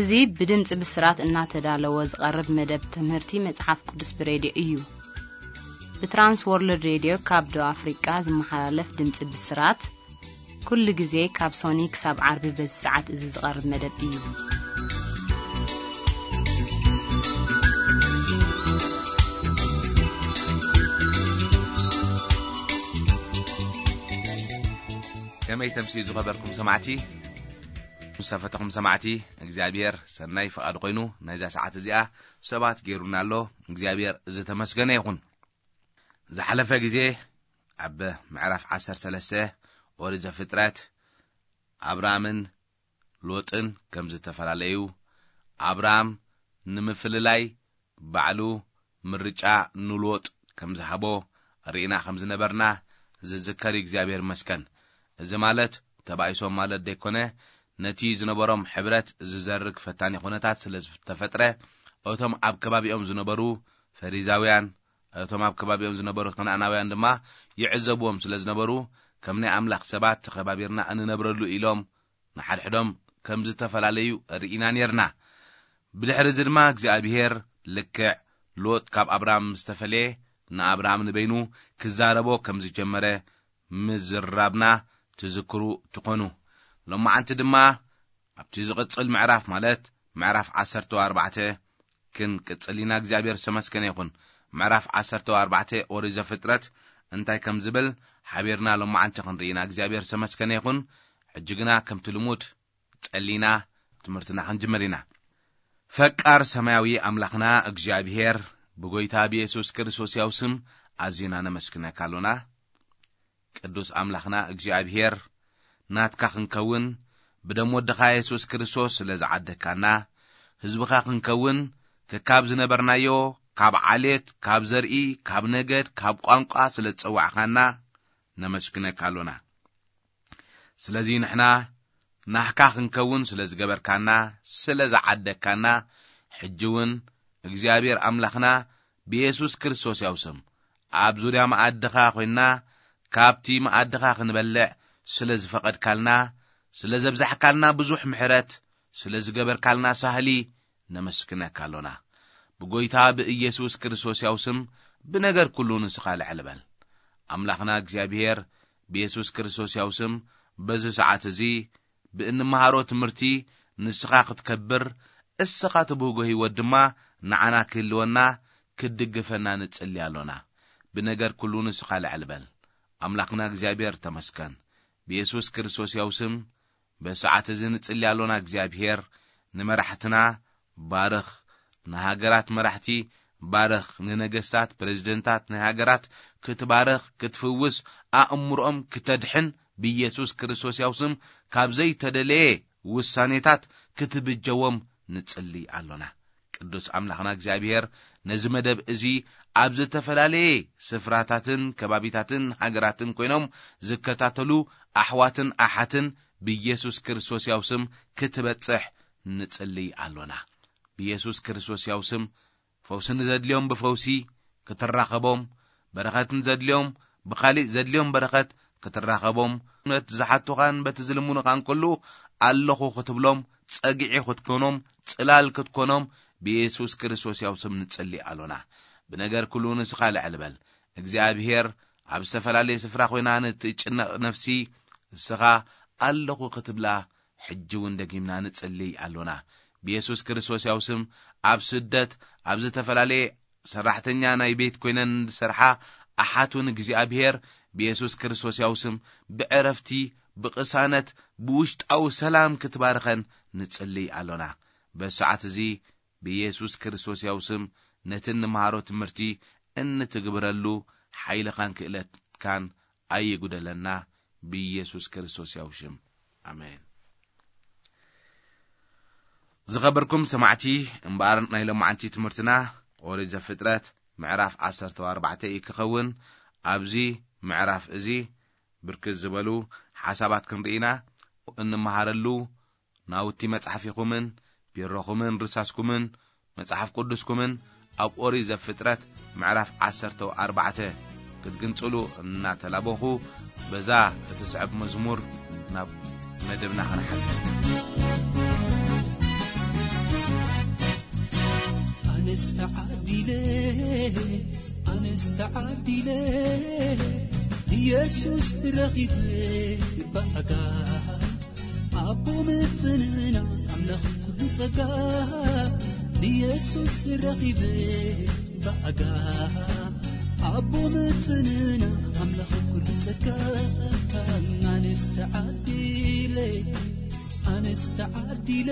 እዚ ብድምፂ ብስራት እናተዳለወ ዝቐርብ መደብ ትምህርቲ መጽሓፍ ቅዱስ ብሬድዮ እዩ። ብትራንስ ወርልድ ሬድዮ ካብ ደቡብ ኣፍሪቃ ዝመሓላለፍ ድምፂ ብስራት፣ ኩሉ ግዜ ካብ ሶኒ ክሳብ ዓርቢ በዚ ሰዓት እዚ ዝቐርብ መደብ እዩ። ከመይ ተምሲ ዝኸበርኩም ሰማዕቲ? ምስ ተፈተኹም ሰማዕቲ፣ እግዚኣብሔር ሰናይ ፍቓድ ኮይኑ ናይዛ ሰዓት እዚኣ ሰባት ገይሩና ኣሎ። እግዚኣብሔር ዝተመስገነ ይኹን። ዝሓለፈ ግዜ ኣብ ምዕራፍ ዓሰርተ ሰለስተ ኦሪት ዘፍጥረት ኣብራምን ሎጥን ከም ዝተፈላለዩ፣ ኣብራም ንምፍልላይ ባዕሉ ምርጫ ንሎጥ ከም ዝሃቦ ርኢና ከም ዝነበርና ዝዝከር እዩ። እግዚኣብሔር ይመስገን። እዚ ማለት ተባኢሶም ማለት ደይኮነ፣ ነቲ ዝነበሮም ሕብረት ዝዘርግ ፈታኒ ኩነታት ስለ ዝተፈጥረ፣ እቶም ኣብ ከባቢኦም ዝነበሩ ፈሪዛውያን፣ እቶም ኣብ ከባቢኦም ዝነበሩ ከነኣናውያን ድማ ይዕዘብዎም ስለ ዝነበሩ፣ ከም ናይ ኣምላኽ ሰባት ተኸባቢርና እንነብረሉ ኢሎም ንሓድሕዶም ከም ዝተፈላለዩ ርኢና ኔርና። ብድሕሪ እዚ ድማ እግዚኣብሔር ልክዕ ሎጥ ካብ ኣብራም ምስ ተፈለየ፣ ንኣብራም ንበይኑ ክዛረቦ ከም ዝጀመረ ምዝራብና ትዝክሩ ትኾኑ። ሎማዓንቲ ድማ ኣብቲ ዝቕጽል ምዕራፍ፣ ማለት ምዕራፍ ዓሰርተ ኣርባዕተ ክንቅጽል ኢና። እግዚኣብሔር ዝተመስገነ ይኹን። ምዕራፍ ዓሰርተ ኣርባዕተ ኦሪት ዘፍጥረት እንታይ ከም ዝብል ሓቢርና ሎማዓንቲ ክንርኢ ኢና። እግዚኣብሔር ዝተመስገነ ይኹን። ሕጂ ግና ከምቲ ልሙድ ጸሊና ትምህርትና ክንጅምር ኢና። ፈቃር ሰማያዊ ኣምላኽና እግዚኣብሔር፣ ብጎይታ ብየሱስ ክርስቶስ ያው ስም ኣዚና ነመስግነካ ኣሎና። ቅዱስ ኣምላኽና እግዚኣብሔር፣ ናትካ ክንከውን ብደም ወድኻ የሱስ ክርስቶስ ስለ ዝዓደግካና፣ ህዝብኻ ክንከውን ከካብ ዝነበርናዮ፣ ካብ ዓሌት፣ ካብ ዘርኢ፣ ካብ ነገድ፣ ካብ ቋንቋ ስለ ዝጸዋዕኻና ነመስግነካ ኣሎና። ስለዚ ንሕና ናህካ ክንከውን ስለ ዝገበርካና፣ ስለ ዝዓደግካና፣ ሕጂ እውን እግዚኣብሔር ኣምላኽና ብየሱስ ክርስቶስ ያው ስም ኣብ ዙርያ መኣድኻ ኮይንና ካብቲ መኣድኻ ክንበልዕ ስለ ዝፈቐድካልና፣ ስለ ዘብዛሕካልና ብዙሕ ምሕረት፣ ስለ ዝገበርካልና ሳህሊ ነመስግነካ ኣሎና። ብጎይታ ብኢየሱስ ክርስቶስ ያው ስም ብነገር ኩሉ ንስኻ ልዕል በል። ኣምላኽና እግዚኣብሔር ብየሱስ ክርስቶስ ያው ስም በዚ ሰዓት እዚ ብእንመሃሮ ትምህርቲ ንስኻ ክትከብር፣ እስኻ ትብህጎ ህይወት ድማ ንዓና ክህልወና፣ ክትድግፈና ንጽሊ ኣሎና። ብነገር ኩሉ ንስኻ ልዕል በል። ኣምላኽና እግዚኣብሔር ተመስገን። ብየሱስ ክርስቶስ ያው ስም በሰዓት እዚ ንጽሊ ኣሎና። እግዚኣብሔር ንመራሕትና ባርኽ፣ ንሃገራት መራሕቲ ባርኽ፣ ንነገስታት፣ ፕሬዝደንታት ናይ ሃገራት ክትባርኽ፣ ክትፍውስ፣ ኣእምሮኦም ክተድሕን ብኢየሱስ ክርስቶስ ያው ስም ካብ ዘይተደለየ ውሳኔታት ክትብጀዎም ንጽሊ ኣሎና። ቅዱስ ኣምላኽና እግዚኣብሔር ነዚ መደብ እዚ ኣብ ዝተፈላለየ ስፍራታትን ከባቢታትን ሃገራትን ኮይኖም ዝከታተሉ ኣሕዋትን ኣሓትን ብኢየሱስ ክርስቶስ ያው ስም ክትበጽሕ ንጽሊ ኣሎና። ብኢየሱስ ክርስቶስ ያው ስም ፈውሲ ንዘድልዮም ብፈውሲ ክትራኸቦም፣ በረኸት ንዘድልዮም ብኻሊእ ዘድልዮም በረኸት ክትራኸቦም፣ ነቲ ዝሓቱኻን በቲ ዝልምኑኻን ኩሉ ኣለኹ ክትብሎም፣ ጸግዒ ክትኮኖም፣ ጽላል ክትኮኖም ብኢየሱስ ክርስቶስ ያው ስም ንጽሊ ኣሎና። ብነገር ኩሉ ንስኻ ልዕል በል። እግዚኣብሔር ኣብ ዝተፈላለየ ስፍራ ኮይና ንትጭነቕ ነፍሲ እስኻ ኣለኹ ክትብላ ሕጂ እውን ደጊምና ንጽሊ ኣሎና። ብየሱስ ክርስቶስ ያው ስም ኣብ ስደት፣ ኣብ ዝተፈላለየ ሰራሕተኛ ናይ ቤት ኮይነን ዝሰርሓ ኣሓት እውን እግዚኣብሔር ብየሱስ ክርስቶስ ያው ስም ብዕረፍቲ፣ ብቕሳነት፣ ብውሽጣዊ ሰላም ክትባርኸን ንጽሊ ኣሎና። በዚ ሰዓት እዚ ብየሱስ ክርስቶስ ያው ስም ነቲ እንመሃሮ ትምህርቲ እንትግብረሉ ሓይልኻን ክእለትካን ኣይጉደለና፣ ብኢየሱስ ክርስቶስ ያው ሽም። ኣሜን። ዝኸበርኩም ሰማዕቲ፣ እምበኣር ናይ ሎማዓንቲ ትምህርትና ኦሪት ዘፍጥረት ምዕራፍ ዓሰርተ ኣርባዕተ እዩ ክኸውን። ኣብዚ ምዕራፍ እዚ ብርክት ዝበሉ ሓሳባት ክንርኢና እንመሃረሉ ናውቲ መጽሓፊኹምን ቢሮኹምን ርሳስኩምን መጽሓፍ ቅዱስኩምን ኣብ ኦሪት ዘፍጥረት ምዕራፍ ዓሰርተ ኣርባዕተ ክትግንጽሉ እናተላበኹ፣ በዛ እትስዕብ መዝሙር ናብ መደብና ክንሓልፍ። ኣነስ ተዓዲለ ኣነስ ተዓዲለ ኢየሱስ ረኺበ ብኣጋ ኣቦ ምጽንና ኣምላኽ ኩሉ ጸጋ ኢየሱስ ረኺበ ብኣጋ ኣቦ ምጽንና ኣምላኽ ኩሉ ጸጋ ኣነስ ተዓዲለ ኣነስ ተዓዲለ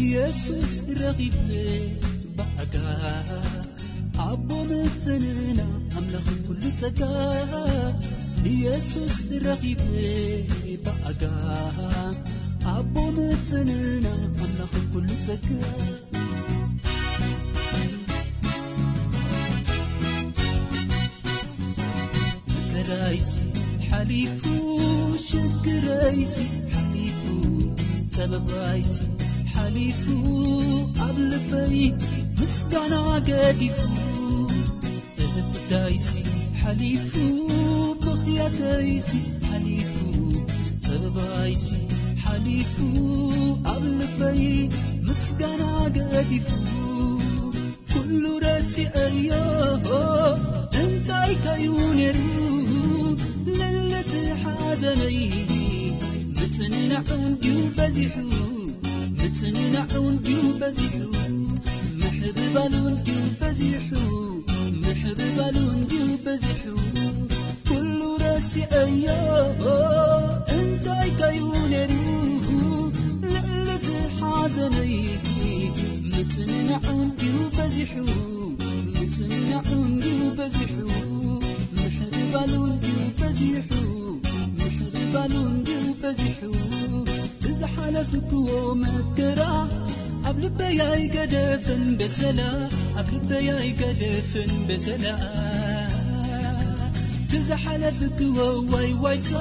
ኢየሱስ ረኺበ ብኣጋ ኣቦ ምጽንና ኣምላኽ ኩሉ ጸጋ ኢየሱስ ረኺበ ብኣጋ ኣቦ ምጽንና ኣምላኽ ኩሉ ጸጋ መከራይሲ ሓሊፉ ሽግረይሲ ሓሊፉ ጸበባይሲ ሓሊፉ ኣብ ልበይ ምስጋና ገዲፉ እህታይሲ ሓሊፉ ብኽያተይሲ ሓሊፉ ጸበባይሲ ሓሊፉ ኣብ ልበይ ምስጋና ገዲፉ ኩሉ ረሲዐዮ እንታይ ከዩ ነይሩ ልልቲ ሓዘነይ ምጽንናዕ እንድዩ በዚሑ ምጽንናዕ እንድዩ በዚሑ ምሕብባሉ እንድዩ በዚሑ ምሕብባሉ እንድዩ በዚሑ ኩሉ ረሲዐዮ እንታይ ከዩ ነይሩ ልዕሊ እቲ ሓዘነይ ምጽንናዕ እንድዩ በዚሑ ምጽንናዕ እንድዩ በዚሑ ምሕብባሉ እንድዩ በዚሑ ምሕብባሉ እንድዩ በዚሑ ብዝሓለፍክዎ መከራ ኣብ ልበይ ኣይገደፍን በሰላ ኣብ ልበይ ኣይገደፍን በሰላ ትዝሓለፍክዎ ዋይ ዋይታ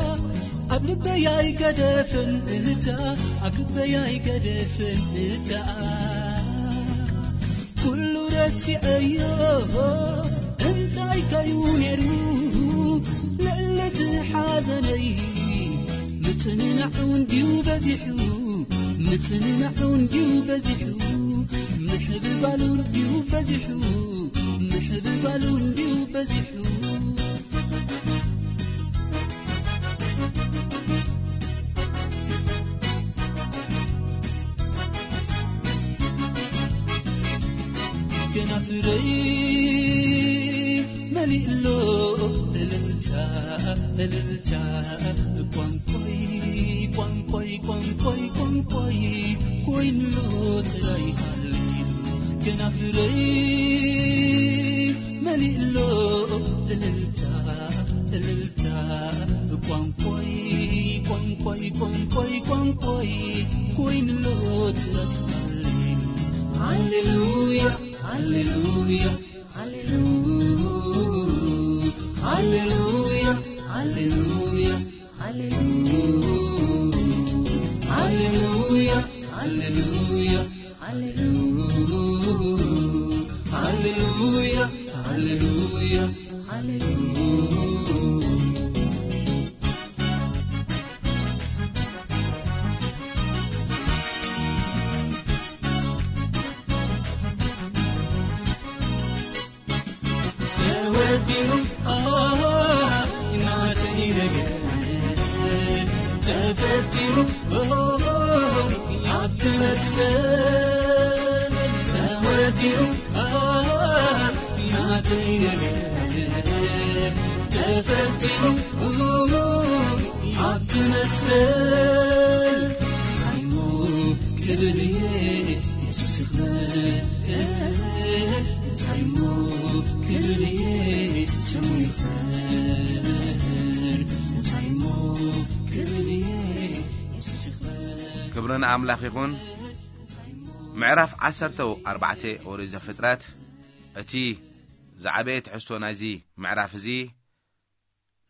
ኣብ ልበይ ኣይገደፍን እታ ኣብ ልበይ ኣይገደፍን እታ ኩሉ ረሲዐዮ እንታይ ከዩ ነይሩ ልዕሊ እቲ ሓዘነይ ምጽንናዕ እንድዩ በዚሑ ምጽንናዕ እንድዩ በዚሑ ምሕብባሉ እንድዩ በዚሑ ምሕብባሉ እንድዩ በዚሑ ገና ፍረይ መሊእሎ እልልታ እልልታ ቋንቋይ ቋንቋይ ቋንቋይ ቋንቋይ ኮይንሎ ጥራይ ሃሌሉ ገና ፍረይ መሊእሎ እልልታ እልልታ ቋንቋይ ቋንቋይ ቋንቋይ ቋንቋይ ኮይንሎ ጥራይ ሃሌሉ ሃሌሉያ ሃሌሉያ ሃሌሉያ ሃሌሉያ ሃሌሉያ ሃሌሉያ ሃሌሉያ ሃሌሉያ ሃሌሉያ ሃሌሉያ ሃሌሉያ ተወዲኡ ናተይ ነገር ተፈቲኑ ኣብቲ መስቀል ተወዲኡ ናተይ ነገር ተፈቲኑ ኣብቲ መስቀል ታይሞ ክብል እየ የሱስ ይኽበር እንታይ እሞ ክብል እየ ስሙ ይኽበር እንታይ እሞ ክብል እየ የሱስ ይኽበር ክብሪ ንኣምላኽ ይኹን። ምዕራፍ ዓሰርተ ኣርባዕተ ኦሪት ዘፍጥረት። እቲ ዝዓበየ ትሕዝቶ ናይዚ ምዕራፍ እዚ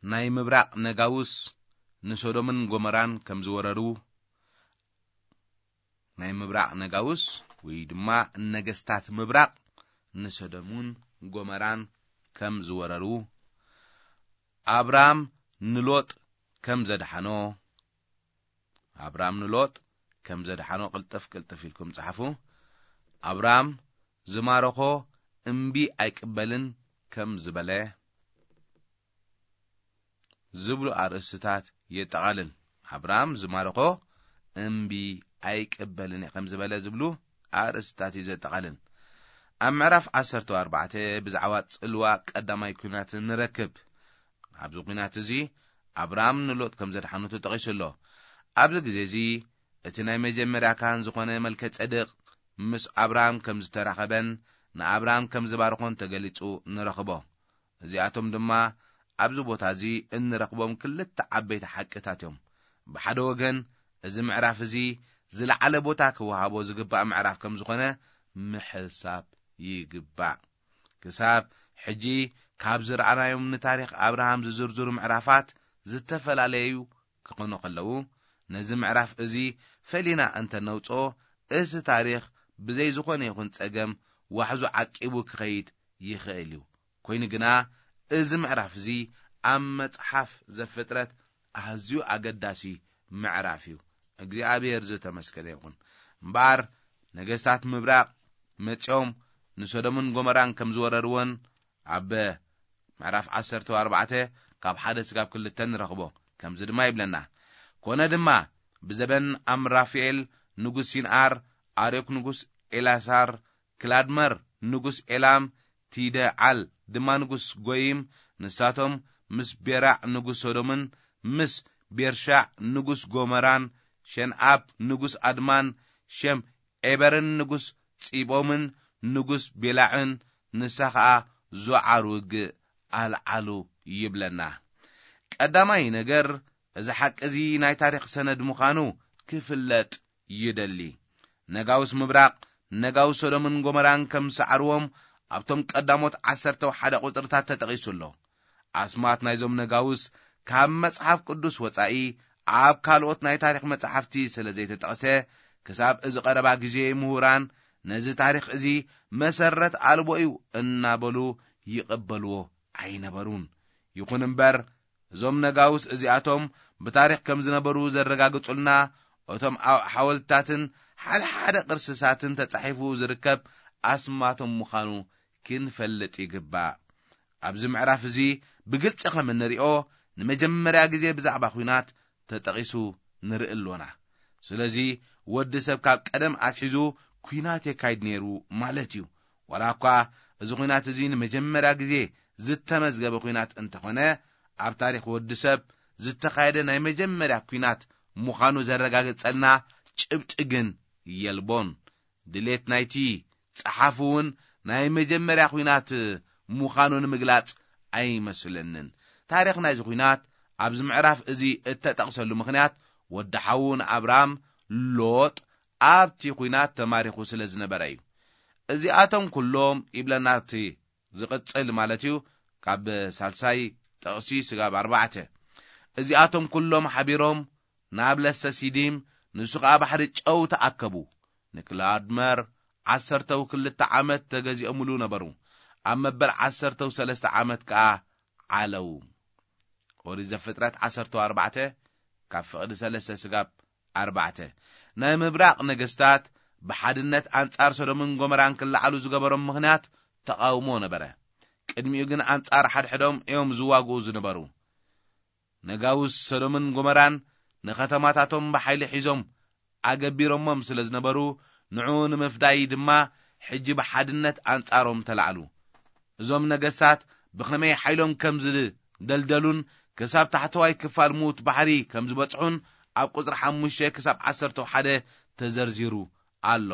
ናይ ምብራቕ ነጋውስ ንሶዶምን ጎመራን ከም ዝወረሩ ናይ ምብራቕ ነጋውስ ወይ ድማ ነገስታት ምብራቕ ንሰዶምን ጎመራን ከም ዝወረሩ ኣብራም ንሎጥ ከም ዘድሓኖ ኣብራም ንሎጥ ከም ዘድሓኖ ቅልጥፍ ቅልጥፍ ኢልኩም ጸሓፉ። ኣብራም ዝማረኾ እምቢ ኣይቅበልን ከም ዝበለ ዝብሉ ኣርእስትታት የጠቓልል። ኣብርሃም ዝማረኾ እምቢ ኣይቅበልን እየ ከም ዝበለ ዝብሉ ኣርእስትታት እዩ ዘጠቓልል። ኣብ ምዕራፍ ዓሰርተ ኣርባዕተ ብዛዕባ ጽልዋ ቀዳማይ ኲናት ንረክብ። ኣብዚ ኲናት እዚ ኣብርሃም ንሎጥ ከም ዘድሓኑ ተጠቒሱ ኣሎ። ኣብዚ ግዜ እዚ እቲ ናይ መጀመርያ ካህን ዝኾነ መልከ ጸድቅ ምስ ኣብርሃም ከም ዝተራኸበን ንኣብርሃም ከም ዝባርኾን ተገሊጹ ንረኽቦ። እዚኣቶም ድማ ኣብዚ ቦታ እዚ እንረኽቦም ክልተ ዓበይቲ ሓቅታት እዮም። ብሓደ ወገን እዚ ምዕራፍ እዚ ዝለዓለ ቦታ ክወሃቦ ዝግባእ ምዕራፍ ከም ዝኾነ ምሕሳብ ይግባእ። ክሳብ ሕጂ ካብ ዝረኣናዮም ንታሪኽ ኣብርሃም ዝዝርዝሩ ምዕራፋት ዝተፈላለዩ ክኾኑ ከለዉ፣ ነዚ ምዕራፍ እዚ ፈሊና እንተነውጽኦ፣ እቲ ታሪኽ ብዘይ ዝኾነ ይኹን ጸገም ዋሕዙ ዓቂቡ ክኸይድ ይኽእል እዩ። ኮይኑ ግና፣ እዚ ምዕራፍ እዚ ኣብ መጽሓፍ ዘፍጥረት ኣዝዩ ኣገዳሲ ምዕራፍ እዩ። እግዚኣብሔር ዝተመስገነ ይኹን። እምበኣር፣ ነገስታት ምብራቕ መጺኦም ንሶዶምን ጎመራን ከም ዝወረርወን ኣብ ምዕራፍ ዓሰርተ ኣርባዕተ ካብ ሓደ ስጋብ ክልተ ንረኽቦ። ከምዚ ድማ ይብለና፣ ኮነ ድማ ብዘበን ኣምራፍኤል ንጉስ ሲንኣር፣ ኣርዮክ ንጉስ ኤላሳር፣ ክላድመር ንጉስ ኤላም፣ ቲደዓል ድማ ንጉስ ጎይም፣ ንሳቶም ምስ ቤራዕ ንጉስ ሶዶምን ምስ ቤርሻዕ ንጉስ ጎመራን፣ ሸንኣብ ንጉስ ኣድማን፣ ሸም ዔበርን ንጉስ ጺቦምን ንጉስ ቤላዕን፣ ንሳ ኸኣ ዞዓር ውግእ ኣልዓሉ ይብለና። ቀዳማይ ነገር፣ እዚ ሓቂ እዚ ናይ ታሪኽ ሰነድ ምዃኑ ክፍለጥ ይደሊ። ነጋውስ ምብራቕ፣ ነጋውስ ሶዶምን ጎመራን ከም ዝሰዓርዎም ኣብቶም ቀዳሞት ዓሰርተ ሓደ ቁጽርታት ተጠቒሱ ኣሎ። ኣስማት ናይዞም ነጋውስ ካብ መጽሓፍ ቅዱስ ወጻኢ ኣብ ካልኦት ናይ ታሪኽ መጻሕፍቲ ስለ ዘይተጠቕሰ፣ ክሳብ እዚ ቀረባ ግዜ ምሁራን ነዚ ታሪኽ እዚ መሰረት ኣልቦ እዩ እናበሉ ይቕበልዎ ኣይነበሩን። ይኹን እምበር፣ እዞም ነጋውስ እዚኣቶም ብታሪኽ ከም ዝነበሩ ዘረጋግጹልና፣ እቶም ኣብ ሓወልትታትን ሓደ ሓደ ቅርስታትን ተጻሒፉ ዝርከብ ኣስማቶም ምዃኑ ክንፈልጥ ይግባእ። ኣብዚ ምዕራፍ እዚ ብግልጺ ከም እንሪኦ፣ ንመጀመርያ ግዜ ብዛዕባ ኲናት ተጠቒሱ ንርኢ ኣሎና። ስለዚ፣ ወዲ ሰብ ካብ ቀደም ኣትሒዙ ኲናት የካይድ ነይሩ ማለት እዩ። ዋላ እኳ እዚ ኲናት እዚ ንመጀመርያ ግዜ ዝተመዝገበ ኲናት እንተኾነ፣ ኣብ ታሪኽ ወዲ ሰብ ዝተኻየደ ናይ መጀመርያ ኲናት ምዃኑ ዘረጋግጸልና ጭብጢ ግን የልቦን። ድሌት ናይቲ ጸሓፊ እውን ናይ መጀመርያ ኲናት ምዃኑ ንምግላጽ ኣይመስለንን። ታሪኽ ናይዚ ኲናት ኣብዚ ምዕራፍ እዚ እተጠቕሰሉ ምኽንያት፣ ወዲ ሓዉ ንኣብራም፣ ሎጥ፣ ኣብቲ ኲናት ተማሪኹ ስለ ዝነበረ እዩ። እዚኣቶም ኩሎም ይብለና እቲ ዝቕጽል ማለት እዩ፣ ካብ ሳልሳይ ጥቕሲ ስጋብ ኣርባዕተ። እዚኣቶም ኩሎም ሓቢሮም ናብ ለሰ ሲዲም፣ ንሱ ኸኣ ባሕሪ ጨው ተኣከቡ። ንክላድመር ዓሰርተው ክልተ ዓመት ተገዚኦምሉ ነበሩ። ኣብ መበል ዓሰርተው ሰለስተ ዓመት ከኣ ዓለው። ኦሪት ዘፍጥረት ዓሰርተው ኣርባዕተ ካብ ፍቕዲ ሰለስተ ስጋብ ኣርባዕተ። ናይ ምብራቕ ነገስታት ብሓድነት ኣንጻር ሶዶምን ጎመራን ክለዓሉ ዝገበሮም ምኽንያት ተቓውሞ ነበረ። ቅድሚኡ ግን ኣንጻር ሓድሕዶም እዮም ዝዋግኡ ዝነበሩ። ነጋውስ ሶዶምን ጎመራን ንኸተማታቶም ብሓይሊ ሒዞም ኣገቢሮሞም ስለ ዝነበሩ፣ ንዕኡ ንምፍዳይ ድማ ሕጂ ብሓድነት ኣንጻሮም ተላዕሉ። እዞም ነገስታት ብኸመይ ሓይሎም ከም ዝደልደሉን ክሳብ ታሕተዋይ ክፋል ሙት ባሕሪ ከም ዝበጽሑን ኣብ ቁጽሪ ሓሙሽተ ክሳብ ዓሰርተ ሓደ ተዘርዚሩ ኣሎ።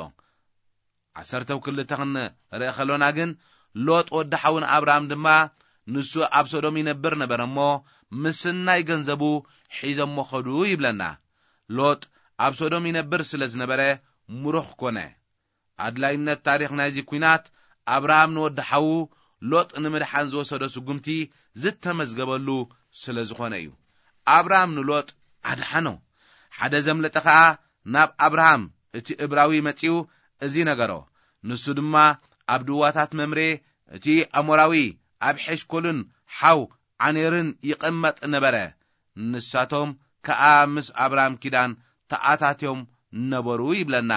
ዓሰርተው ክልተ ክንርኢ ከሎና ግን፣ ሎጥ ወዲ ሓውን ኣብርሃም ድማ፣ ንሱ ኣብ ሶዶም ይነብር ነበረ እሞ፣ ምስናይ ገንዘቡ ሒዞሞ ኸዱ ይብለና። ሎጥ ኣብ ሶዶም ይነብር ስለ ዝነበረ፣ ምሩኽ ኮነ። ኣድላይነት ታሪኽ ናይዚ ኲናት፣ ኣብርሃም ንወዲ ሓዉ ሎጥ ንምድሓን ዝወሰዶ ስጉምቲ ዝተመዝገበሉ ስለ ዝኾነ እዩ። ኣብርሃም ንሎጥ ኣድሓኖ። ሓደ ዘምለጠ ኸኣ ናብ ኣብርሃም እቲ እብራዊ መጺኡ እዚ ነገሮ። ንሱ ድማ ኣብ ድዋታት መምሬ እቲ ኣሞራዊ ኣብ ሔሽኮልን ሓው ዓኔርን ይቕመጥ ነበረ። ንሳቶም ከኣ ምስ ኣብርሃም ኪዳን ተኣታትዮም ነበሩ ይብለና።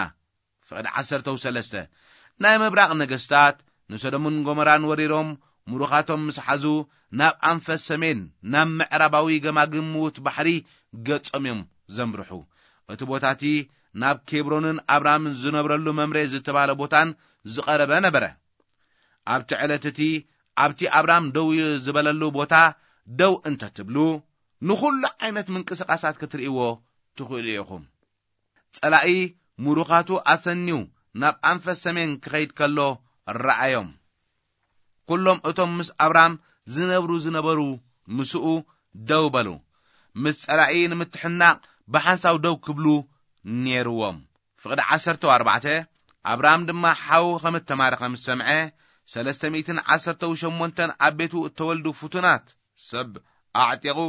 ፍቕዲ ዓሰርተው ሰለስተ። ናይ ምብራቕ ነገስታት ንሰዶምን ጎመራን ወሪሮም ምሩኻቶም ምስ ሓዙ፣ ናብ ኣንፈት ሰሜን፣ ናብ ምዕራባዊ ገማግም ምዉት ባሕሪ ገጾም እዮም ዘምርሑ። እቲ ቦታ እቲ ናብ ኬብሮንን ኣብራምን ዝነብረሉ መምሬ ዝተባህለ ቦታን ዝቐረበ ነበረ። ኣብቲ ዕለት እቲ ኣብቲ ኣብራም ደው ዝበለሉ ቦታ ደው እንተትብሉ፣ ንኹሉ ዓይነት ምንቅስቓሳት ክትርእይዎ ትኽእሉ ኢኹም። ጸላኢ ምሩኻቱ ኣሰንዩ ናብ ኣንፈት ሰሜን ክኸይድ ከሎ ረኣዮም። ኩሎም እቶም ምስ ኣብራም ዝነብሩ ዝነበሩ ምስኡ ደው በሉ። ምስ ጸላኢ ንምትሕናቕ ብሓንሳብ ደው ክብሉ ነይርዎም። ፍቕዲ ዓሰርተ ኣርባዕተ ኣብራም ድማ ሓው ከም እተማረኸ ምስ ሰምዐ፣ ሰለስተ ሚእትን ዓሰርተ ሸሞንተን ኣብ ቤቱ እተወልዱ ፍቱናት ሰብ ኣዕጢቑ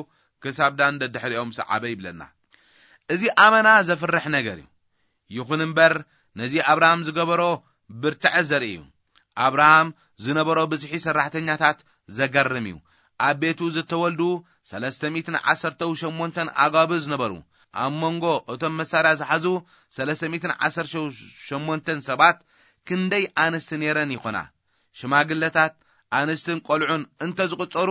ክሳብ ዳን ደድሕሪኦም ሰዓበ ይብለና። እዚ ኣመና ዘፍርሕ ነገር እዩ። ይኹን እምበር፣ ነዚ ኣብርሃም ዝገበሮ ብርትዐ ዘርኢ እዩ። ኣብርሃም ዝነበሮ ብዝሒ ሰራሕተኛታት ዘገርም እዩ። ኣብ ቤቱ ዝተወልዱ ሰለስተ ሚእትን ዓሰርተ ሸሞንተን ኣጋብዝ ነበሩ። ኣብ መንጎ እቶም መሳርያ ዝሓዙ ሰለስተ ሚእትን ዓሰርተ ሸሞንተን ሰባት ክንደይ ኣንስቲ ነይረን ይኾና? ሽማግለታት፣ ኣንስትን ቆልዑን እንተ ዝቑጸሩ፣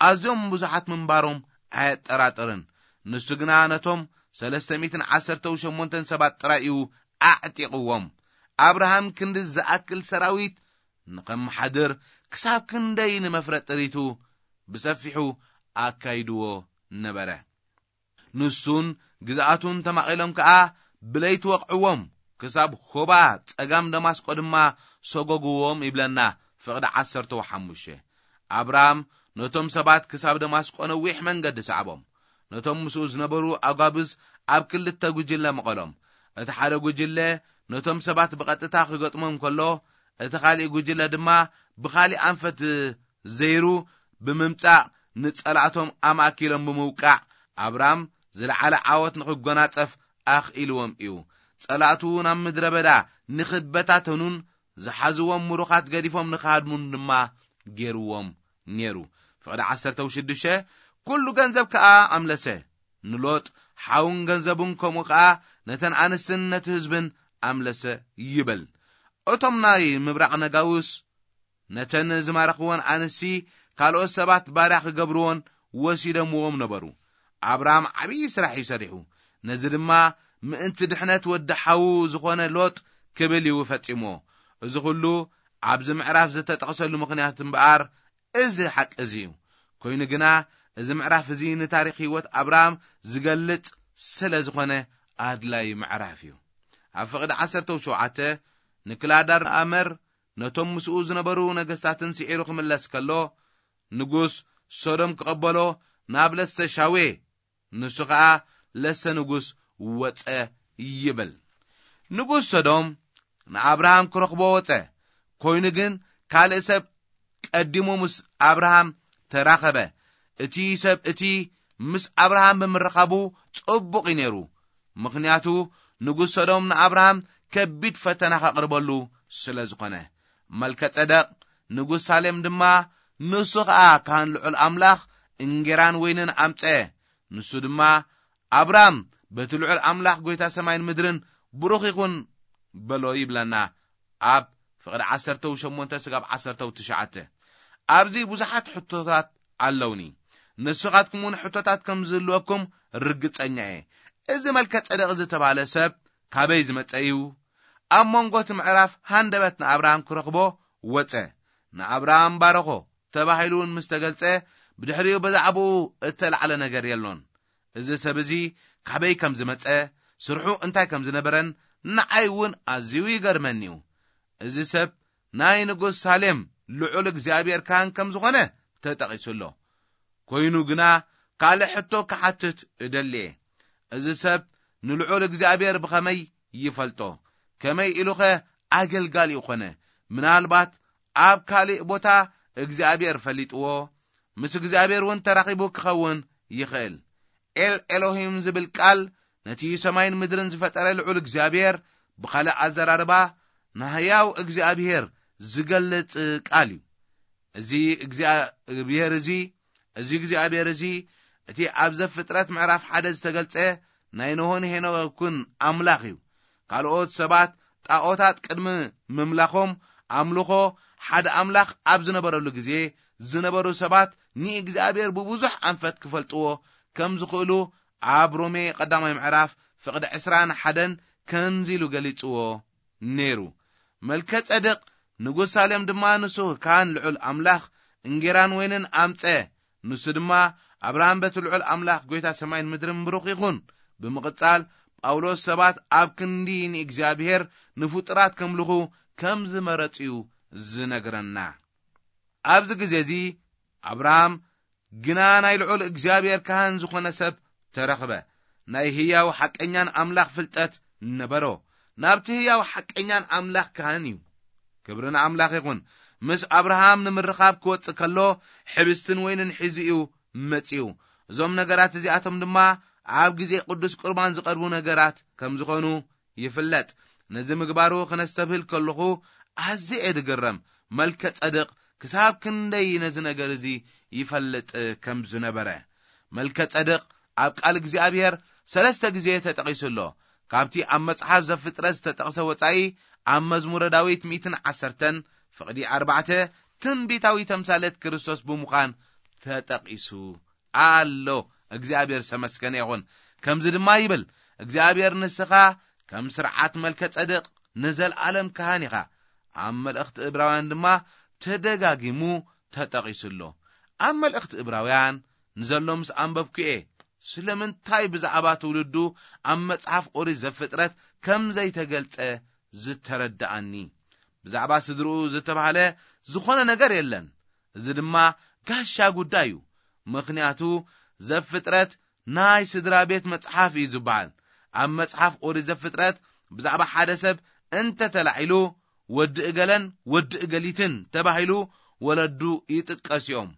ኣዝዮም ብዙሓት ምንባሮም ኣየጠራጥርን። ንሱ ግና ነቶም ሰለስተ ሚእትን ዓሰርተ ሸሞንተን ሰባት ጥራይ እዩ ኣዕጢቕዎም። ኣብርሃም ክንዲ ዝኣክል ሰራዊት ንኸመሓድር ክሳብ ክንደይ ንመፍረ ጥሪቱ ብሰፊሑ ኣካይድዎ ነበረ። ንሱን ግዝኣቱን ተማቒሎም ከኣ ብለይቲ ወቕዕዎም፣ ክሳብ ሆባ ጸጋም ደማስቆ ድማ ሰጎግዎም ይብለና ፍቕዲ ዓሰርተ ሓሙሽተ። ኣብርሃም ነቶም ሰባት ክሳብ ደማስቆ ነዊሕ መንገዲ ሰዓቦም። ነቶም ምስኡ ዝነበሩ ኣጓብዝ ኣብ ክልተ ጉጅለ መቐሎም። እቲ ሓደ ጉጅለ ነቶም ሰባት ብቐጥታ ክገጥሞም ከሎ፣ እቲ ካልእ ጉጅለ ድማ ብኻልእ ኣንፈት ዘይሩ ብምምጻእ ንጸላእቶም ኣማእኪሎም ብምውቃዕ፣ ኣብራም ዝለዓለ ዓወት ንኽጎናጸፍ ኣኽኢልዎም እዩ። ጸላእቱ ናብ ምድረ በዳ ንኽበታተኑን ዝሓዝዎም ምሩኻት ገዲፎም ንኽሃድሙን ድማ ገይርዎም ነይሩ። ፍቕዲ ዓሰርተ ሽዱሽተ፣ ኩሉ ገንዘብ ከኣ ኣምለሰ። ንሎጥ ሓውን ገንዘቡን ከምኡ ከኣ ነተን ኣንስትን ነቲ ህዝብን ኣምለሰ ይብል። እቶም ናይ ምብራቕ ነጋውስ ነተን ዝማረኽወን ኣንስቲ ካልኦት ሰባት ባርያ ክገብርዎን ወሲደምዎም ነበሩ። ኣብርሃም ዓብዪ ስራሕ እዩ ሰሪሑ። ነዚ ድማ ምእንቲ ድሕነት ወዲ ሓዉ ዝኾነ ሎጥ ክብል እዩ ፈጺምዎ። እዚ ኹሉ ኣብዚ ምዕራፍ ዝተጠቕሰሉ ምኽንያት እምበኣር እዚ ሓቂ እዚ እዩ። ኮይኑ ግና እዚ ምዕራፍ እዚ ንታሪኽ ህይወት ኣብርሃም ዝገልጽ ስለ ዝኾነ ኣድላዪ ምዕራፍ እዩ። ኣብ ፍቕዲ ዓሰርተ ሸውዓተ ንክላዳር ኣመር ነቶም ምስኡ ዝነበሩ ነገስታትን ስዒሩ ክምለስ ከሎ፣ ንጉስ ሶዶም ክቐበሎ ናብ ለሰ ሻዌ፣ ንሱ ኸኣ ለሰ ንጉስ ወጸ ይብል። ንጉስ ሶዶም ንኣብርሃም ክረኽቦ ወጸ። ኮይኑ ግን ካልእ ሰብ ቀዲሙ ምስ ኣብርሃም ተራኸበ። እቲ ሰብ እቲ ምስ ኣብርሃም ብምርኻቡ ጽቡቕ እዩ ነይሩ። ምኽንያቱ ንጉስ ሶዶም ንኣብርሃም ከቢድ ፈተና ከቕርበሉ ስለ ዝኾነ። መልከ ጸደቕ ንጉስ ሳሌም ድማ ንሱ ኸኣ ካህን ልዑል ኣምላኽ እንጌራን ወይንን ኣምጸ። ንሱ ድማ ኣብራም በቲ ልዑል ኣምላኽ ጐይታ ሰማይን ምድርን ብሩኽ ይኹን በሎ ይብለና ኣብ ፍቕዲ ዓሰርተ ሸሞንተ ስጋብ ዓሰርተ ትሽዓተ። ኣብዚ ብዙሓት ሕቶታት ኣለውኒ። ንስኻትኩም እውን ሕቶታት ከም ዝህልወኩም ርግጸኛ እየ። እዚ መልከ ጸደቕ ዝተባህለ ሰብ ካበይ ዝመጸ እዩ? ኣብ መንጎ እቲ ምዕራፍ ሃንደበት ንኣብርሃም ክረኽቦ ወጸ። ንኣብርሃም ባረኾ ተባሂሉ እውን ምስ ተገልጸ፣ ብድሕሪኡ ብዛዕባኡ እተላዕለ ነገር የሎን። እዚ ሰብ እዚ ካበይ ከም ዝመጸ፣ ስርሑ እንታይ ከም ዝነበረን ንዓይ እውን ኣዝዩ ይገርመኒ እዩ። እዚ ሰብ ናይ ንጉስ ሳሌም ልዑል እግዚኣብሔር ካህን ከም ዝኾነ ተጠቒሱ ኣሎ። ኮይኑ ግና ካልእ ሕቶ ክሓትት እደሊ እየ። እዚ ሰብ ንልዑል እግዚኣብሔር ብኸመይ ይፈልጦ? ከመይ ኢሉኸ ኣገልጋሊኡ ኾነ? ምናልባት ኣብ ካልእ ቦታ እግዚኣብሔር ፈሊጥዎ፣ ምስ እግዚኣብሔር እውን ተራኺቡ ክኸውን ይኽእል። ኤል ኤሎሂም ዝብል ቃል ነቲ ሰማይን ምድርን ዝፈጠረ ልዑል እግዚኣብሔር፣ ብኻልእ ኣዘራርባ ንህያው እግዚኣብሔር ዝገልጽ ቃል እዩ። እዚ እግዚኣብሔር እዚ፣ እዚ እግዚኣብሔር እዚ፣ እቲ ኣብ ዘፍጥረት ምዕራፍ ሓደ ዝተገልጸ ናይ ኖሆን ሄኖክን ኣምላኽ እዩ። ካልኦት ሰባት ጣዖታት ቅድሚ ምምላኾም ኣምልኾ ሓደ ኣምላኽ ኣብ ዝነበረሉ ግዜ ዝነበሩ ሰባት ንእግዚኣብሔር ብብዙሕ ኣንፈት ክፈልጥዎ ከም ዝኽእሉ ኣብ ሮሜ ቀዳማይ ምዕራፍ ፍቕዲ ዕስራን ሓደን ከምዚ ኢሉ ገሊጽዎ ነይሩ። መልከ ጸድቅ ንጉስ ሳሌም ድማ ንሱ ካህን ልዑል ኣምላኽ እንጌራን ወይንን ኣምጸ። ንሱ ድማ ኣብርሃም በቲ ልዑል ኣምላኽ ጎይታ ሰማይን ምድርን ብሩኽ ይኹን። ብምቕጻል ጳውሎስ ሰባት ኣብ ክንዲ ንእግዚኣብሔር ንፍጡራት ከምልኹ ከም ዝመረጽ እዩ ዝነግረና። ኣብዚ ግዜ እዚ ኣብርሃም ግና ናይ ልዑል እግዚኣብሔር ካህን ዝኾነ ሰብ ተረኽበ። ናይ ህያው ሓቀኛን ኣምላኽ ፍልጠት ነበሮ። ናብቲ ህያው ሓቀኛን ኣምላኽ ካህን እዩ። ክብሪ ንኣምላኽ ይኹን። ምስ ኣብርሃም ንምርኻብ ክወጽእ ከሎ ሕብስትን ወይንን ሒዙ እዩ መጺኡ። እዞም ነገራት እዚኣቶም ድማ ኣብ ግዜ ቅዱስ ቁርባን ዝቐርቡ ነገራት ከም ዝኾኑ ይፍለጥ። ነዚ ምግባሩ ክነስተብህል ከለኹ ኣዝየ እየ ድግረም። መልከ ጸድቕ ክሳብ ክንደይ ነዚ ነገር እዚ ይፈልጥ ከም ዝነበረ። መልከ ጸድቕ ኣብ ቃል እግዚኣብሔር ሰለስተ ግዜ ተጠቒሱ ኣሎ። ካብቲ ኣብ መጽሓፍ ዘፍጥረት ዝተጠቕሰ ወጻኢ ኣብ መዝሙረ ዳዊት ሚእትን ዓሰርተን ፍቕዲ ኣርባዕተ ትንቢታዊ ተምሳሌት ክርስቶስ ብምዃን ተጠቒሱ ኣሎ። እግዚኣብሔር ዝተመስገነ ይኹን። ከምዚ ድማ ይብል፣ እግዚኣብሔር ንስኻ ከም ስርዓት መልከ ጸድቕ ንዘለዓለም ካህን ኢኻ። ኣብ መልእኽቲ እብራውያን ድማ ተደጋጊሙ ተጠቒሱ ኣሎ። ኣብ መልእኽቲ እብራውያን ንዘሎ ምስ ኣንበብኩ እየ፣ ስለምንታይ ብዛዕባ ትውልዱ ኣብ መጽሓፍ ኦሪት ዘፍጥረት ከም ዘይተገልጸ ዝተረድኣኒ። ብዛዕባ ስድርኡ ዝተባህለ ዝኾነ ነገር የለን። እዚ ድማ ጋሻ ጉዳይ እዩ። ምኽንያቱ ዘፍጥረት ናይ ስድራ ቤት መጽሓፍ እዩ ዝበሃል። ኣብ መጽሓፍ ኦሪት ዘፍጥረት ብዛዕባ ሓደ ሰብ እንተ ተላዒሉ ወዲ እገለን ወዲ እገሊትን ተባሂሉ ወለዱ ይጥቀስ እዮም።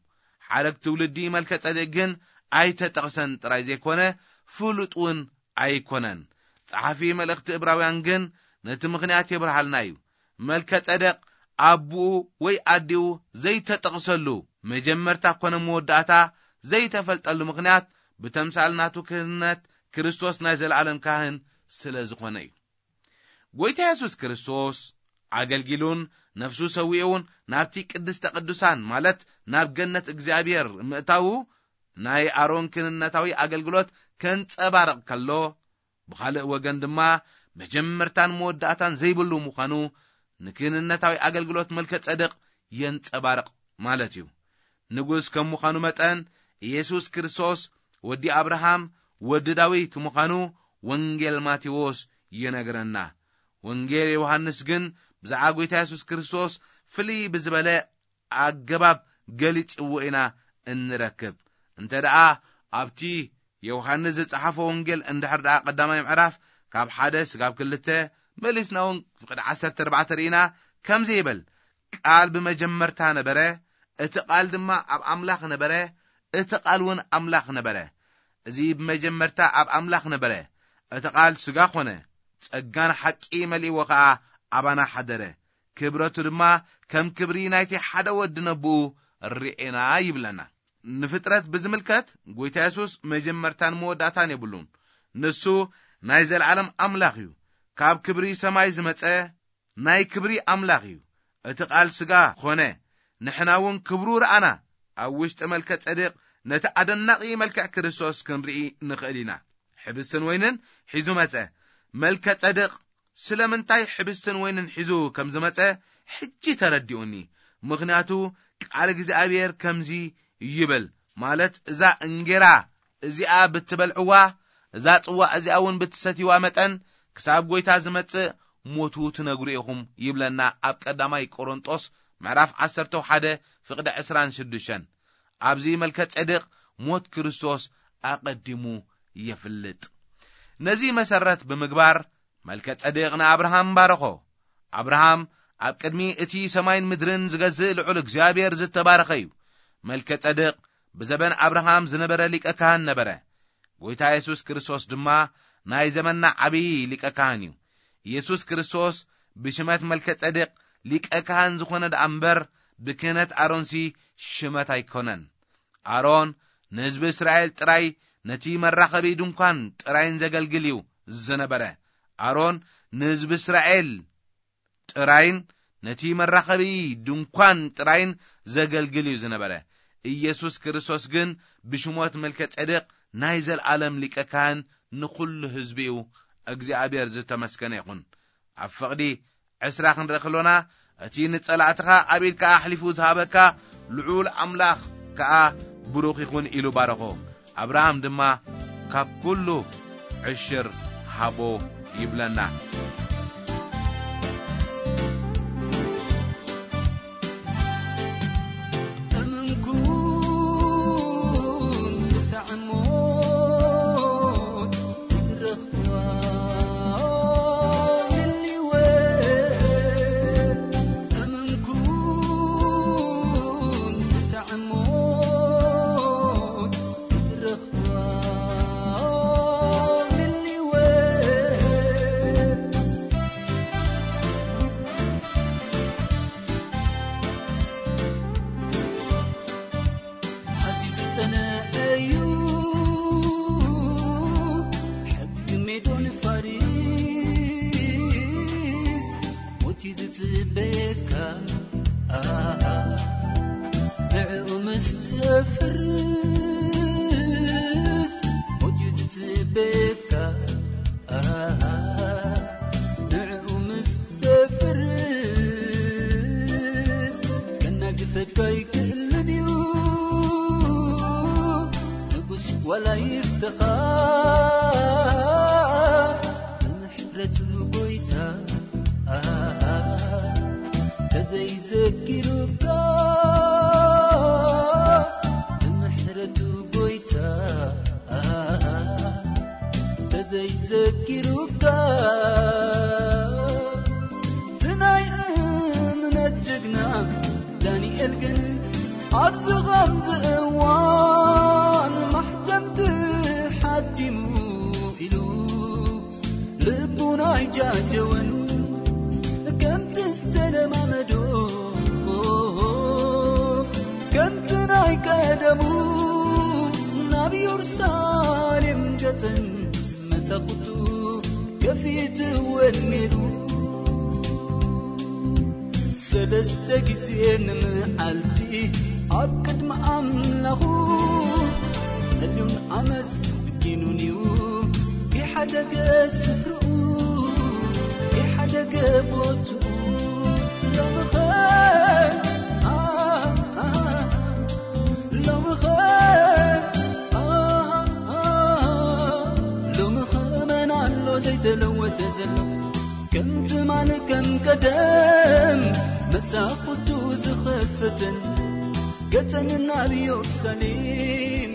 ሓረግ ትውልዲ መልከ ጸዴቅ ግን ኣይተጠቕሰን ጥራይ ዘይኮነ ፍሉጥ እውን ኣይኮነን። ጸሓፊ መልእኽቲ እብራውያን ግን ነቲ ምኽንያት የብርሃልና እዩ። መልከ ጸደቅ ኣቦኡ ወይ ኣዲኡ ዘይተጠቕሰሉ፣ መጀመርታ ኮነ መወዳእታ ዘይተፈልጠሉ ምኽንያት ብተምሳል ናቱ ክህነት ክርስቶስ ናይ ዘለዓለም ካህን ስለ ዝኾነ እዩ። ጎይታ የሱስ ክርስቶስ ኣገልጊሉን ነፍሱ ሰዊኡን ናብቲ ቅድስተ ቅዱሳን ማለት ናብ ገነት እግዚኣብሔር ምእታዉ ናይ ኣሮን ክህነታዊ ኣገልግሎት ከንጸባርቕ ከሎ፣ ብኻልእ ወገን ድማ መጀመርታን መወዳእታን ዘይብሉ ምዃኑ ንክህንነታዊ ኣገልግሎት መልከ ጸድቕ የንጸባርቕ ማለት እዩ። ንጉስ ከም ምዃኑ መጠን ኢየሱስ ክርስቶስ ወዲ ኣብርሃም ወዲ ዳዊት ምዃኑ ወንጌል ማቴዎስ ይነግረና። ወንጌል ዮሃንስ ግን ብዛዕባ ጎይታ የሱስ ክርስቶስ ፍልይ ብዝበለ ኣገባብ ገሊጽዎ ኢና እንረክብ። እንተ ደኣ ኣብቲ ዮሃንስ ዝጸሓፎ ወንጌል እንድሕር ደኣ ቀዳማይ ምዕራፍ ካብ ሓደ ስጋብ ክልተ መሊስና እውን ፍቕዲ ዓሰርተ ኣርባዕተ ርኢና ከምዚ ይብል፣ ቃል ብመጀመርታ ነበረ፣ እቲ ቃል ድማ ኣብ ኣምላኽ ነበረ፣ እቲ ቃል እውን ኣምላኽ ነበረ። እዚ ብመጀመርታ ኣብ ኣምላኽ ነበረ። እቲ ቃል ስጋ ኾነ፣ ጸጋን ሓቂ መሊእዎ ኸኣ ኣባና ሓደረ። ክብረቱ ድማ ከም ክብሪ ናይቲ ሓደ ወዲ ነብኡ ርኤና ይብለና። ንፍጥረት ብዝምልከት ጎይታ የሱስ መጀመርታን መወዳእታን የብሉን። ንሱ ናይ ዘለዓለም ኣምላኽ እዩ። ካብ ክብሪ ሰማይ ዝመጸ ናይ ክብሪ ኣምላኽ እዩ። እቲ ቃል ስጋ ኾነ፣ ንሕና እውን ክብሩ ረኣና። ኣብ ውሽጢ መልከ ጸድቕ ነቲ ኣደናቒ መልክዕ ክርስቶስ ክንርኢ ንኽእል ኢና። ሕብስትን ወይንን ሒዙ መጸ። መልከ ጸድቕ ስለምንታይ ሕብስትን ወይንን ሒዙ ከም ዝመጸ ሕጂ ተረዲኡኒ። ምኽንያቱ ቃል እግዚኣብሔር ከምዚ ይብል፣ ማለት እዛ እንጌራ እዚኣ ብትበልዕዋ፣ እዛ ጽዋዕ እዚኣ እውን ብትሰትይዋ መጠን ክሳብ ጎይታ ዝመጽእ ሞቱ ትነግሩ ኢኹም ይብለና ኣብ ቀዳማይ ቆሮንጦስ ምዕራፍ ዓሰርተ ሓደ ፍቕዲ ዕስራን ሽዱሽተን። ኣብዚ መልከ ጸድቕ ሞት ክርስቶስ ኣቐዲሙ የፍልጥ። ነዚ መሰረት ብምግባር መልከ ጸድቕ ንኣብርሃም ባረኾ። ኣብርሃም ኣብ ቅድሚ እቲ ሰማይን ምድርን ዝገዝእ ልዑል እግዚኣብሔር ዝተባረኸ እዩ። መልከ ጸድቕ ብዘበን ኣብርሃም ዝነበረ ሊቀ ካህን ነበረ። ጎይታ የሱስ ክርስቶስ ድማ ናይ ዘመንና ዓብዪ ሊቀ ካህን እዩ። ኢየሱስ ክርስቶስ ብሽመት መልከ ጸድቕ ሊቀ ካህን ዝኾነ ደኣ እምበር ብክህነት ኣሮንሲ ሽመት ኣይኮነን። ኣሮን ንህዝቢ እስራኤል ጥራይ ነቲ መራኸቢ ድንኳን ጥራይን ዘገልግል እዩ ዝነበረ። ኣሮን ንህዝቢ እስራኤል ጥራይን ነቲ መራኸቢ ድንኳን ጥራይን ዘገልግል እዩ ዝነበረ። ኢየሱስ ክርስቶስ ግን ብሽሞት መልከ ጼዴቅ ናይ ዘልኣለም ሊቀ ካህን ንኹሉ ህዝቢ እዩ። እግዚኣብሔር ዝተመስገነ ይኹን። ኣብ ፍቕዲ ዕስራ ክንርኢ ከሎና፣ እቲ ንጸላእትኻ ኣብ ኢድካ ኣሕሊፉ ዝሃበካ ልዑል ኣምላኽ ከኣ ብሩኽ ይኹን ኢሉ ባረኾ። ኣብርሃም ድማ ካብ ኩሉ ዕሽር ሃቦ ይብለና። እምንኩም ክሳዕ ሞት ክትረኽብዋ ልልወ። እምንኩም ክሳዕ ሞት ክትረኽብዋ ልልወ። ኣዝዩ ዝጸንዐ እዩ ሕጊ ሜዶን ፋሪስ፣ ሞት እዩ ዝጽበየካ። ኣሃ፣ ንዕኡ ምስ ተፍርስ፣ ሞት እዩ ዝጽበየካ። ኣሃ፣ ንዕኡ ምስ ተፍርስ፣ ከናግፈካ ኣይክእልን እዩ። ንጉስ ዋላ ይፍተኻ፣ ብምሕረቱ ጎይታ፣ ኣሃ፣ ተዘይዘኪሩካ፣ ብምሕረቱ ጎይታ፣ ተዘይዘኪሩካ፣ እቲ ናይ እምነት ጅግና ዳንኤል ግን ኣብዚ ኸምዚ እዋን ማሕተምቲ ሓቲሙ ኢሉ ልቡን ኣይጃጀወን፣ ከምቲ ዝተለማመዶ፣ ከምቲ ናይ ቀደሙ፣ ናብ የሩሳሌም ገጸን መሳኹቱ ከፊትወን ነይሩ። ሰለስተ ግዜ ንመዓልቲ ኣብ ቅድሚ ኣምላኹ ጸልዩን ኣመስጊኑን እዩ። ይሓደገ ስፍርኡ፣ ይሓደገ ቦትኡ። ሎምኸ፣ ኣ፣ ኣ፣ ሎምኸ፣ ኣ፣ ኣ፣ ሎምኸ መን ኣሎ ዘይተለወጠ ዘሎ? ከም ትማል ከም ቀደም መጻኹቱ ዝኸፍትን ገጸን ናብ ኢየሩሳሌም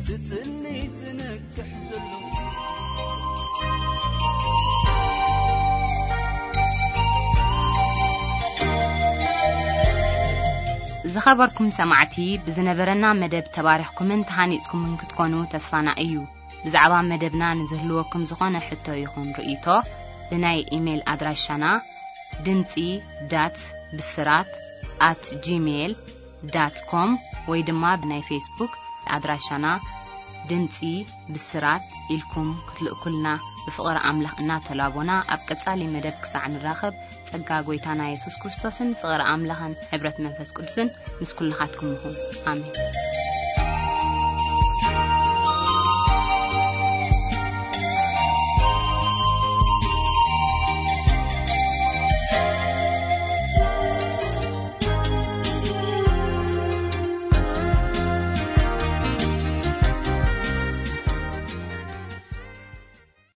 ዝጽሊ ዝነግሕ ዘሎ። ዝኸበርኩም ሰማዕቲ፣ ብዝነበረና መደብ ተባሪኽኩምን ተሃኒጽኩምን ክትኮኑ ተስፋና እዩ። ብዛዕባ መደብና ንዝህልወኩም ዝኾነ ሕቶ ይኹን ርእይቶ፣ ብናይ ኢሜይል ኣድራሻና ድምጺ ዳት ብስራት ኣት ጂሜይል ዳት ኮም ወይ ድማ ብናይ ፌስቡክ ኣድራሻና ድምጺ ብስራት ኢልኩም ክትልእኩልና ብፍቕሪ ኣምላኽ እናተላቦና፣ ኣብ ቀጻሊ መደብ ክሳዕ ንራኸብ፣ ጸጋ ጐይታና የሱስ ክርስቶስን ፍቕሪ ኣምላኽን ሕብረት መንፈስ ቅዱስን ምስ ኩልኻትኩም ይኹን። ኣሜን።